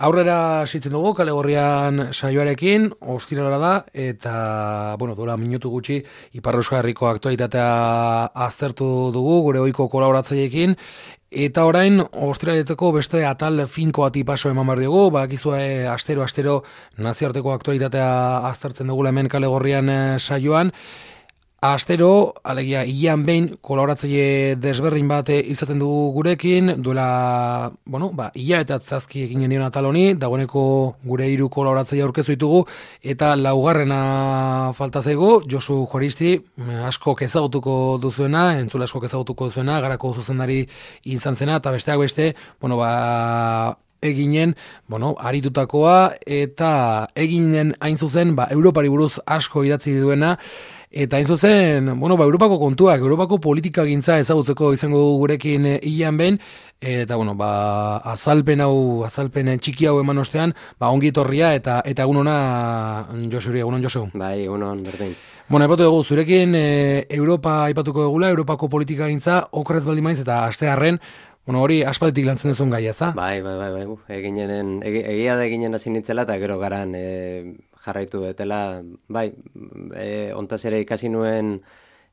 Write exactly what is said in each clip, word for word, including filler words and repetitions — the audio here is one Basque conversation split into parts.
Aurrera sitzen dugu, kale gorrian saioarekin, ostirala da, eta, bueno, dola minutu gutxi, Ipar Euskal Herriko aktualitatea aztertu dugu, gure ohiko kolaboratzaileekin, eta orain, ostiraleteko beste atal finko bati paso eman behar dugu, bakizue astero-astero nazioarteko aktualitatea aztertzen dugula hemen kale gorrian saioan, Astero, alegia, ian behin kolaboratzaile desberdin bat izaten dugu gurekin, duela, bueno, ba, ia eta zazki egin genion atal honi, dagoeneko gure hiru kolaboratzaile aurkezu ditugu, eta laugarrena falta zaigu, Josu Juaristi, asko ezagutuko duzuena, entzule asko ezagutuko duzuena, garako zuzendari izan zena, eta besteak beste, bueno, ba, eginen, bueno, aritutakoa, eta eginen hain zuzen, ba, Europari buruz asko idatzi duena, eta hain zuzen, bueno, ba, Europako kontuak, Europako politika gintza ezagutzeko izango gurekin hilan behin, eta, bueno, ba, azalpen hau, azalpen txiki hau eman ostean, ba, ongi etorria, eta, eta egun hona, Josuri, egun hon, Josu. Bai, egun hon, berdin. Bueno, aipatu dugu, zurekin e, Europa aipatuko dugula, Europako politika gintza, okrez baldin maiz, eta astearren, bueno, hori aspalditik lantzen duzun gai, ez da? Bai, bai, bai, bai, eginenen, egia da eginen hasi nintzela, eta gero garan e, jarraitu detela, bai, e, ontaz ere ikasi nuen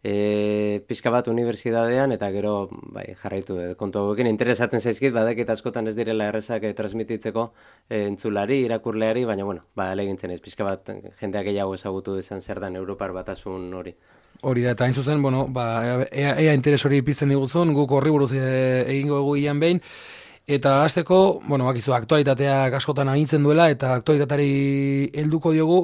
e, pixka bat unibertsitatean, eta gero bai, jarraitu dut. Kontu hauekin interesatzen zaizkit, badakit askotan ez direla errezak e, transmititzeko e, entzulari, irakurleari, baina, bueno, ba, elegintzen ez, pixka bat jendeak gehiago ezagutu dezan zer dan Europar batasun hori. Hori da, eta hain zuzen, bueno, ba, ea, ea interes hori pizten diguzun, guk horri buruz e, egingo egu ian behin, eta hasteko, bueno, bakizu, aktualitateak askotan agintzen duela, eta aktualitateari helduko diogu,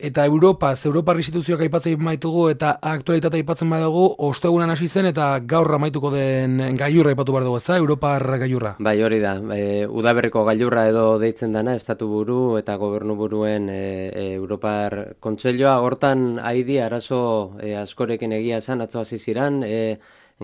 eta Europa, Europar instituzioak aipatzen maitugu, eta aktualitatea aipatzen badugu, ostegunan hasi zen, eta gaur amaituko den gailurra aipatu behar dugu, ez da, Europar gailurra? Bai, hori da, e, udaberriko gailurra edo deitzen dana, estatu buru eta gobernu buruen e, e, Europar kontseilua, hortan haidi arazo e, askorekin egia esan, atzo hasi ziran, e,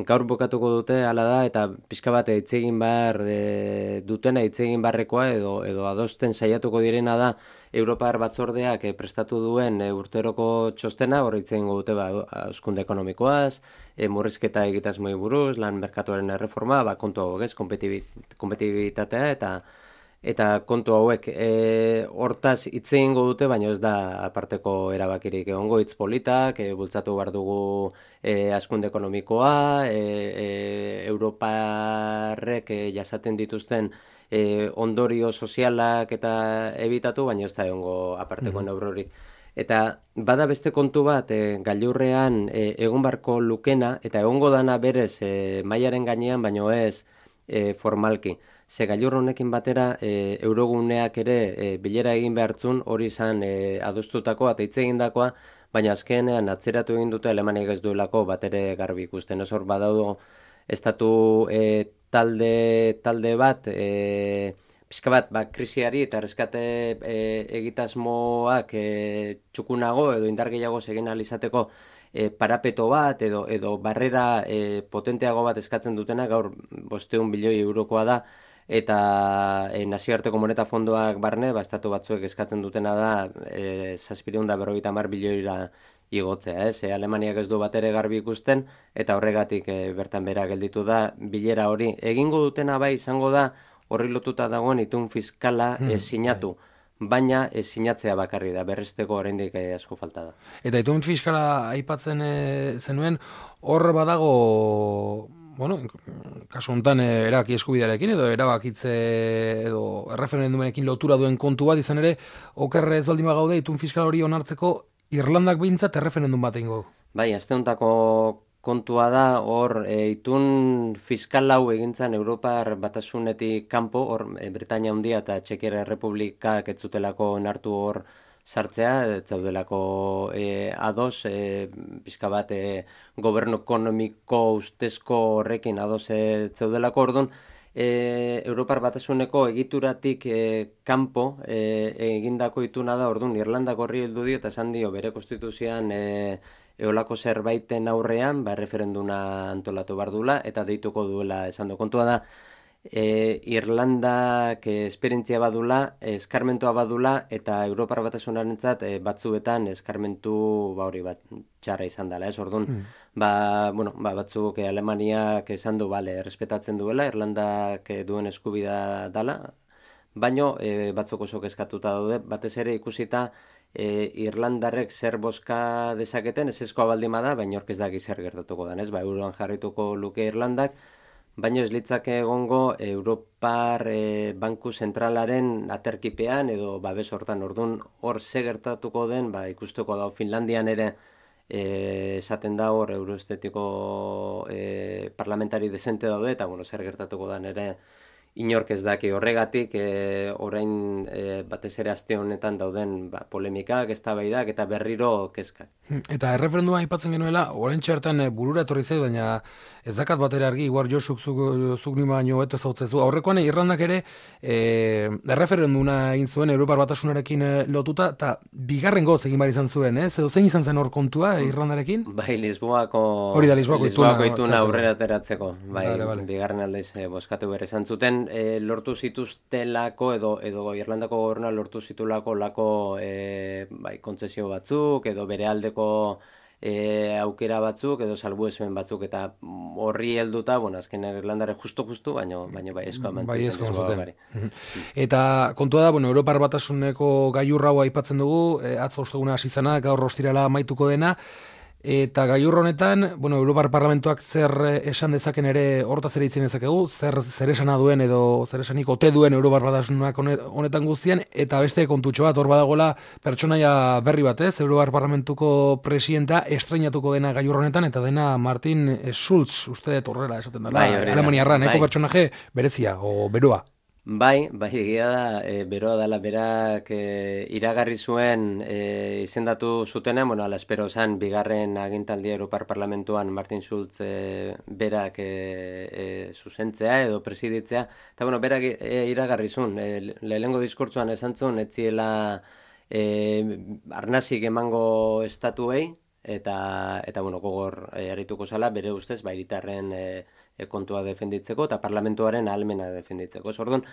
gaur bukatuko dute hala da, eta pixka bat hitz egin behar e, dutena hitz egin beharrekoa edo, edo adosten saiatuko direna da Europar batzordeak e, prestatu duen e, urteroko txostena, hor hitz egingo dute ba, hazkunde ekonomikoaz, e, murrizketa egitasmoi buruz, lan merkatuaren erreforma, ba, kontu hauek ez, kompetibitatea eta eta kontu hauek e, hortaz hitz egingo dute, baina ez da aparteko erabakirik egongo hitz politak, e, bultzatu behar dugu e, hazkunde ekonomikoa, e, e, Europarrek e, jasaten dituzten E, ondorio sozialak eta ebitatu, baina ez da egongo aparteko neurorik. Eta bada beste kontu bat, e, gailurrean e, egon barko lukena, eta egongo dana berez e, mailaren gainean, baino ez e, formalki. Ze gailur honekin batera e, euroguneak ere e, bilera egin behartzun, hori izan e, adostutakoa eta hitz egindakoa, baina azkenean atzeratu egin dute Alemaniak ez duelako bat ere garbi ikusten. Ez hor badaudo estatu e, talde talde bat e, pixka bat ba, krisiari eta reskate e, egitasmoak e, txukunago edo indar gehiago egin ahal izateko e, parapeto bat edo edo barrera e, potenteago bat eskatzen dutena, gaur bostehun bilioi eurokoa da, eta e, nazioarteko moneta fondoak barne, ba, estatu batzuek eskatzen dutena da e, zazpiehun eta berrogeita hamar bilioira igotzea, ez? E, Alemaniak ez du bat ere garbi ikusten, eta horregatik e, bertan bera gelditu da bilera hori. Egingo dutena bai izango da horri lotuta dagoen itun fiskala hmm, e, sinatu, baina e, sinatzea bakarri da, berresteko oraindik e, asko falta da. Eta itun fiskala aipatzen e, zenuen, hor badago, bueno, kasu honetan e, erabaki eskubidearekin edo erabakitze edo erreferendumenekin lotura duen kontu bat, izan ere, okerrez baldin bagaude itun fiskala hori onartzeko Irlandak behintzat erreferendum bat egingo. Bai, aste hontako kontua da, hor e, itun fiskal hau egintzan Europar batasunetik kanpo, hor e, Britania Handia eta Txekiar Errepublikak ez zutelako onartu hor sartzea, ez zaudelako e, ados, e, pixka bat e, gobernu ekonomiko ustezko horrekin ados ez zaudelako, orduan, E, Europar batasuneko egituratik e, kanpo e, egindako ituna da, orduan Irlandak horri heldu dio eta esan dio bere konstituzioan e, eolako zerbaiten aurrean ba, referenduna antolatu behar duela eta deituko duela esan du. Kontua da, e, Irlandak e, esperientzia badula, eskarmentua badula, eta Europar Batasunarentzat e, batzuetan eskarmentu ba hori bat txarra izan dela, ez orduan. Mm. Ba, bueno, ba, batzuk e, Alemaniak esan du, bale, respetatzen duela, Irlandak e, duen eskubida dala, baino e, batzuk oso kezkatuta daude, batez ere ikusita e, Irlandarrek zer bozka dezaketen, ez ezkoa baldin bada, baina ork ez daki zer gertatuko den, ez? Ba, euroan jarrituko luke Irlandak, baina ez litzake egongo Europar e, Banku Zentralaren aterkipean edo babes hortan, ordun hor ze gertatuko den, ba, ikusteko da Finlandian ere e, esaten da hor euroestetiko e, parlamentari desente daude, eta bueno, zer gertatuko den ere inork ez daki horregatik, e, orain e, batez ere aste honetan dauden ba, polemikak, eztabaidak eta berriro kezkak. Eta erreferenduma aipatzen genuela, orain txertan burura etorri zait, baina ez dakat batera argi, igual Josuk zuk, zuk nima baino beto zautzezu. Aurrekoan Irlandak ere e, erreferenduna egin zuen Europar Batasunarekin lotuta, eta bigarren goz egin behar izan zuen, ez? Edo zein izan zen hor kontua Irlandarekin? Bai, Lisboako, Hori da, Lisboako, Lisboako ituna aurrera ateratzeko. Bai, vale, vale. Bigarren aldez e, boskatu behar izan zuten, e, lortu zituztelako edo edo Irlandako gobernua lortu zitulako lako e, bai, kontzesio batzuk edo bere aldeko e, aukera batzuk edo salbuespen batzuk eta horri helduta, bueno, azken Irlandare justo-justo, baino, baino bai esko amantzen. Bai esko amantzen. Eta kontua da, bueno, Europar Batasuneko gailurra hau aipatzen dugu, e, atzo osteguna hasi zena, gaur ostirala amaituko dena, eta gailur honetan, bueno, Europar Parlamentuak zer esan dezaken ere hortaz ere itzen dezakegu, zer, zer esana duen edo zer esanik ote duen Europar Batasunak honetan guztian, eta beste kontutxo bat, hor badagoela pertsonaia berri bat, ez? Europar Parlamentuko presidenta estreinatuko dena gailur honetan, eta dena Martin Schulz, uste horrela esaten dela, bai, Alemaniarra, neko bai. pertsonaje berezia, o beroa. Bai, bai, egia da, e, beroa dela berak e, iragarri zuen e, izendatu zutenean, bueno, ala espero zan, bigarren agintaldia Europar Parlamentuan Martin Schulz e, berak e, e, zuzentzea edo presiditzea, eta bueno, berak e, iragarri zuen, e, lehenengo diskurtzuan esan zuen, etziela e, arnazik emango estatuei, eta, eta bueno, gogor e, arituko zala, bere ustez, bairitarren e, kontua defenditzeko eta parlamentuaren ahalmena defenditzeko. Orduan,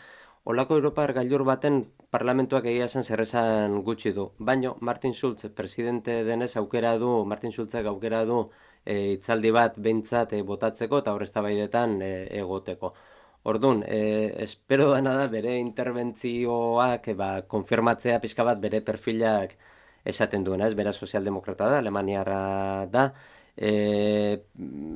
olako Europar gailur baten parlamentuak egia esan zerrezan gutxi du. Baino, Martin Schulz, presidente denez aukera du, Martin Schulzek aukera du e, itzaldi bat behintzat e, botatzeko eta hor eztabaidetan e, egoteko. Orduan, e, espero dena da bere interbentzioak e, ba, konfirmatzea pixka bat bere perfilak esaten duena, ez? Bera sozialdemokrata da, alemaniarra da, E,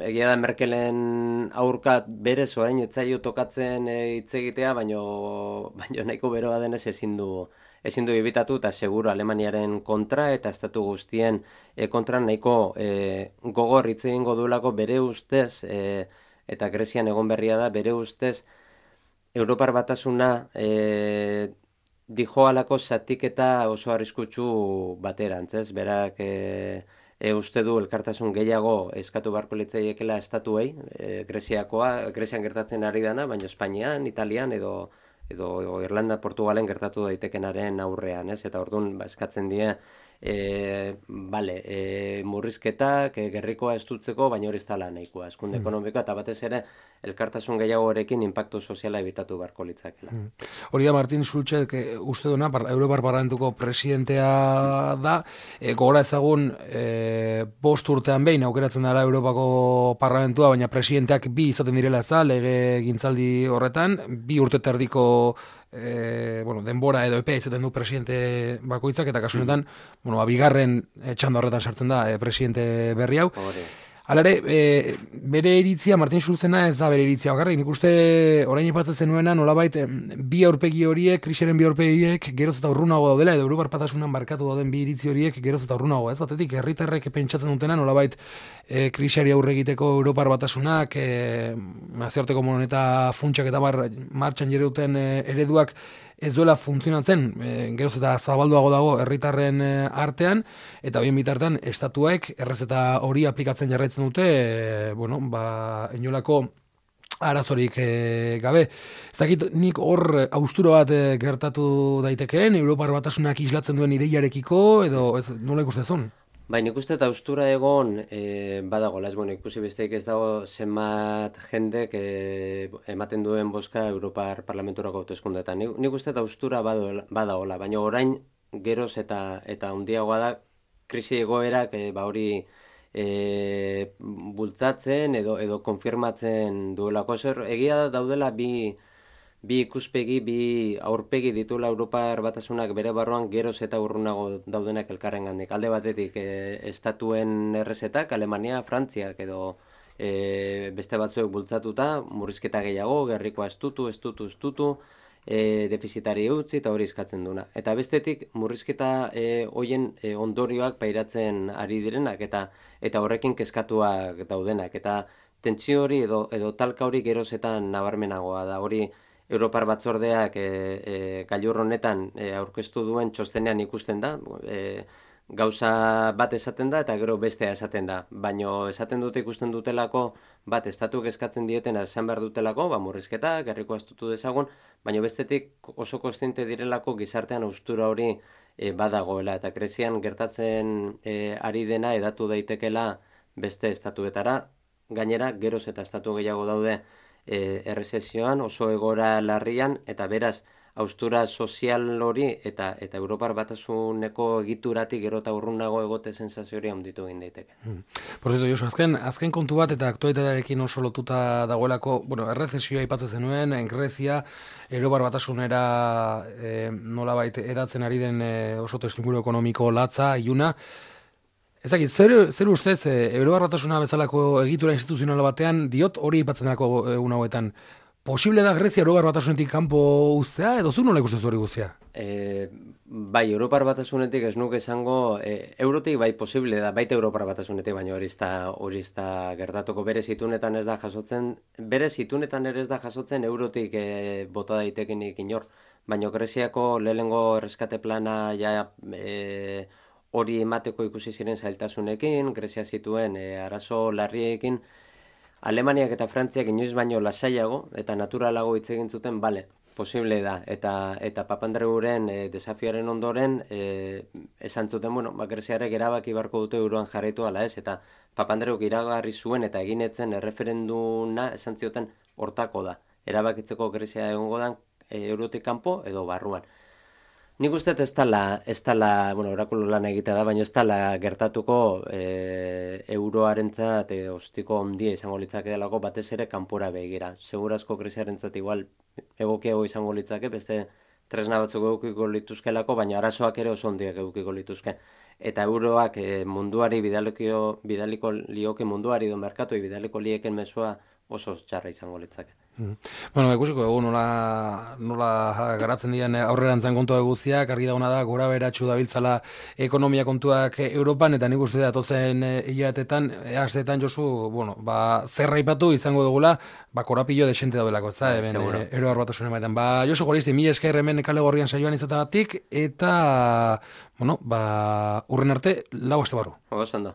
egia da Merkelen aurka berez orain etzaio tokatzen hitz e, egitea, baino, baino nahiko beroa denez ezin du ezin du ibitatu eta seguro Alemaniaren kontra eta estatu guztien e, kontra nahiko e, gogor hitz egingo duelako bere ustez e, eta Grezian egon berria da bere ustez Europar Batasuna e, dijoalako zatiketa oso arriskutsu baterantz, ez? Berak e, E, uste du elkartasun gehiago eskatu beharko litzaiekela estatuei, e, Greziakoa, Grezian gertatzen ari dana, baina Espainian, Italian edo edo Irlanda, Portugalen gertatu daitekenaren aurrean, ez? Eta orduan ba, eskatzen die e, bale, e, murrizketak, e, gerrikoa estutzeko, baina hori ez dela nahikoa, eskunde mm. ekonomikoa, eta batez ere elkartasun gehiagorekin inpaktu soziala ebitatu beharko litzakela. Mm. Hori da Martin Schulzek uste duena, Europar Parlamentuko presidentea da, e, gogora ezagun e, bost urtean behin aukeratzen dara Europako Parlamentua, baina presidenteak bi izaten direla ez da, lege gintzaldi horretan, bi urte terdiko E, bueno, denbora edo epea izaten du presidente bakoitzak, eta kasu honetan, mm. bueno, bigarren e, txanda horretan sartzen da e, presidente berri hau. Hala ere, e, bere iritzia, Martin Schulzena ez da bere iritzia bakarrik. Nik uste orain ipatzen zenuena nolabait bi aurpegi horiek, krisiaren bi aurpegi horiek geroz eta urrunago daudela, edo Europar Batasunan barkatu dauden bi iritzi horiek geroz eta urrunago. Ez batetik, herritarrek pentsatzen dutena nolabait e, krisiari aurre egiteko Europar Batasunak, e, nazioarteko moneta funtsak eta bar, martxan jere duten e, ereduak ez duela funtzionatzen, e, geroz eta zabalduago dago herritarren e, artean, eta bien bitartean estatuek errez eta hori aplikatzen jarraitzen dute, e, bueno, ba, inolako arazorik e, gabe. Ez dakit nik hor haustura bat e, gertatu daitekeen, Europar Batasunak islatzen duen ideiarekiko, edo ez, nola ikustezun? Bai, nik uste eta austura egon e, badagoela, ez bueno, ikusi besteik ez dago zenbat jendek e, ematen duen bozka Europar Parlamenturako hauteskundeetan. Nik, nik uste eta austura badagoela, baina orain geroz eta eta handiagoa da krisi egoerak e, ba hori e, bultzatzen edo edo konfirmatzen duelako. Zer, egia daudela bi bi ikuspegi, bi aurpegi ditula Europar Batasunak bere barruan geroz eta urrunago daudenak elkarrengandik. Alde batetik e, estatuen errezetak, Alemania, Frantziak edo e, beste batzuek bultzatuta, murrizketa gehiago, gerrikoa estutu, estutu, estutu, e, defizitari utzi eta hori eskatzen duna. Eta bestetik murrizketa e, hoien e, ondorioak pairatzen ari direnak eta eta horrekin kezkatuak daudenak. Eta tentsio hori edo, edo talka hori geroz eta nabarmenagoa da. Hori Europar Batzordeak e, e, gailur honetan e, aurkeztu duen txostenean ikusten da, e, gauza bat esaten da eta gero bestea esaten da. Baino esaten dute ikusten dutelako, bat estatuk eskatzen dietena esan behar dutelako, ba, murrizketa, gerriko astutu dezagun, baino bestetik oso kontziente direlako gizartean austura hori e, badagoela. Eta Grezian gertatzen e, ari dena edatu daitekela beste estatuetara, gainera geroz eta estatu gehiago daude E, errezesioan, oso egora larrian, eta beraz, austura sozial hori eta eta Europar Batasuneko egituratik gero eta urrunago egote sensazio hori handitu egin daiteke. Hmm. Por cierto, Josu, azken, azken kontu bat eta aktualitatearekin oso lotuta dagoelako, bueno, errezesioa aipatzen zenuen, Grezia, Europar Batasunera e, nolabait edatzen ari den e, oso testuinguru ekonomiko latza, iluna. Ez dakit, zer, zer ustez, e, Europar Batasuna bezalako egitura instituzional batean, diot hori aipatzen dako egun hauetan, posible da Grezia Europar Batasunetik kanpo uztea, edo zu nola ikusten hori guztia? E, bai, Europar Batasunetik ez nuke esango, e, eurotik bai posible da, baita Europar Batasunetik, baina hori hori da gertatuko bere zitunetan ez da jasotzen, bere zitunetan ere ez da jasotzen eurotik e, bota daitekenik inor, baina Greziako lehenengo erreskate plana ja e, hori emateko ikusi ziren zailtasunekin, Grezia zituen e, arazo larriekin, Alemaniak eta Frantziak inoiz baino lasaiago eta naturalago hitz egin zuten, bale, posible da. Eta eta Papandreuren e, desafiaren ondoren e, esan zuten, bueno, ba, Greziarek erabaki beharko dute euroan jarraitu ala ez, eta Papandreuk iragarri zuen eta eginetzen erreferenduna esan zioten hortako da. Erabakitzeko Grezia egongo da e, eurotik kanpo edo barruan. Nik uste ez dela, ez dela, bueno, orakulu lan egitea da, baina ez dela gertatuko e, euroarentzat e, ostiko ondia izango litzake delako batez ere kanpora begira. Segurazko Greziarentzat igual egokiago izango litzake, beste tresna batzuk edukiko lituzkelako, baina arazoak ere oso ondiak edukiko lituzke. Eta euroak e, munduari bidaliko, bidaliko lioke munduari do merkatoi bidaliko lieken mezua oso txarra izango litzake. Mm. Bueno, ikusiko dugu nola, nola garatzen diren aurrerantzan kontua guztiak, argi dagoena da, gora beratxu dabiltzala ekonomia kontuak Europan, eta nik uste datozen hilabetetan, asteetan Josu, bueno, ba, zerra ipatu izango dugula, ba, korapillo desente daudelako, ez da, hemen, e, Europar Batasunen baitean. Ba, Josu Goristi, mila esker hemen kale gorrian saioan izatagatik, eta, bueno, ba, urren arte, lau aste barru. Oso ondo.